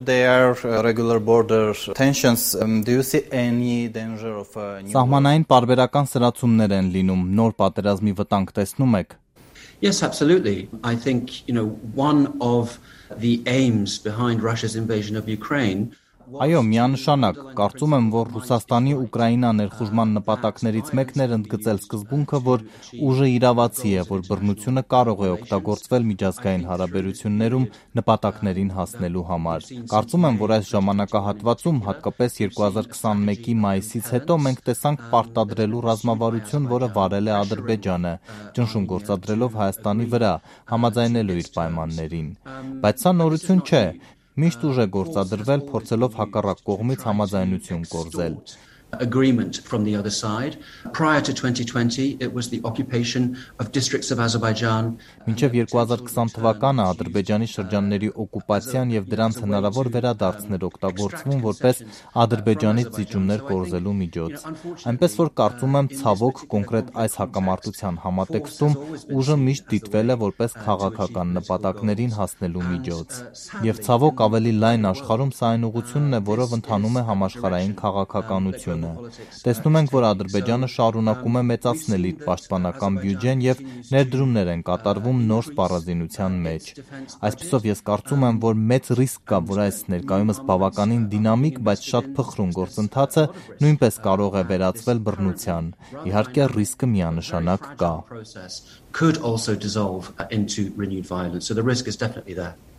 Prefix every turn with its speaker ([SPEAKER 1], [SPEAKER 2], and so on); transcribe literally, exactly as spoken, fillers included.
[SPEAKER 1] Սահմանային պարբերական սրացումներ են լինում, նոր պատերազմի վտանգ տեսնում եք։
[SPEAKER 2] Yes, absolutely. I think, you know, one of the aims behind Russia's invasion of Ukraine.
[SPEAKER 1] Այո, միանշանակ, կարծում եմ, որ Ռուսաստանի Ուկրաինա ներխուժման նպատակներից մեկն էր ընդգծել սկզբունքը, որ ուժը իրավացի է, որ բռնությունը կարող է օգտագործվել միջազգային հարաբերություններում նպատակներին հասնելու համար։ Կարծում եմ, որ այս ժամանակահատվածում, հատկապես երկու հազար քսանմեկի մայիսից հետո մենք տեսանք պարտադրելու ռազմավարություն, որը վարել է Ադրբեջանը, ճնշում գործադրելով Հայաստանի վրա, համաձայնելու իր պայմաններին։ Բայց սա նորություն չէ։ Միշտ ուժ է գործադրվել, փորձելով հակառակ կողմից համաձայնություն կորզել։
[SPEAKER 2] Agreement from the other side. Prior to twenty twenty, it was the occupation of districts of Azerbaijan.
[SPEAKER 1] Մինչև երկու հազար քսան թվականը Ադրբեջանի շրջանների օկուպացիան եւ դրանց հնարավոր վերադարձներ օգտագործվում որպես Ադրբեջանից զիջումներ կորզելու միջոց։ Այնպես որ կարծում եմ, ցավոք կոնկրետ այս հակամարտության համատեքստում ուժը միշտ դիտվել է որպես քաղաքական նպատակներին հասնելու միջոց։ Եվ ցավոք ավելի լայն աշխարհում սա այն ուղղությունն է, որով ընթանում է համաշխարհային քաղաքականությունը։ Տեսնում ենք, որ Ադրբեջանը շարունակում է մեծացնել իր պաշտպանական բյուջեն եւ ներդրումներ են կատարվում նոր սպառազինության մեջ։ Այսպիսով ես կարծում եմ, որ մեծ ռիսկ կա, որ այս ներկայումս բավականին դինամիկ, բայց շատ փխրուն գործընթացը նույնպես կարող է վերածվել բռնության։ Իհարկե ռիսկը միանշանակ կա։
[SPEAKER 2] Could also dissolve into renewed violence. So the risk is definitely there.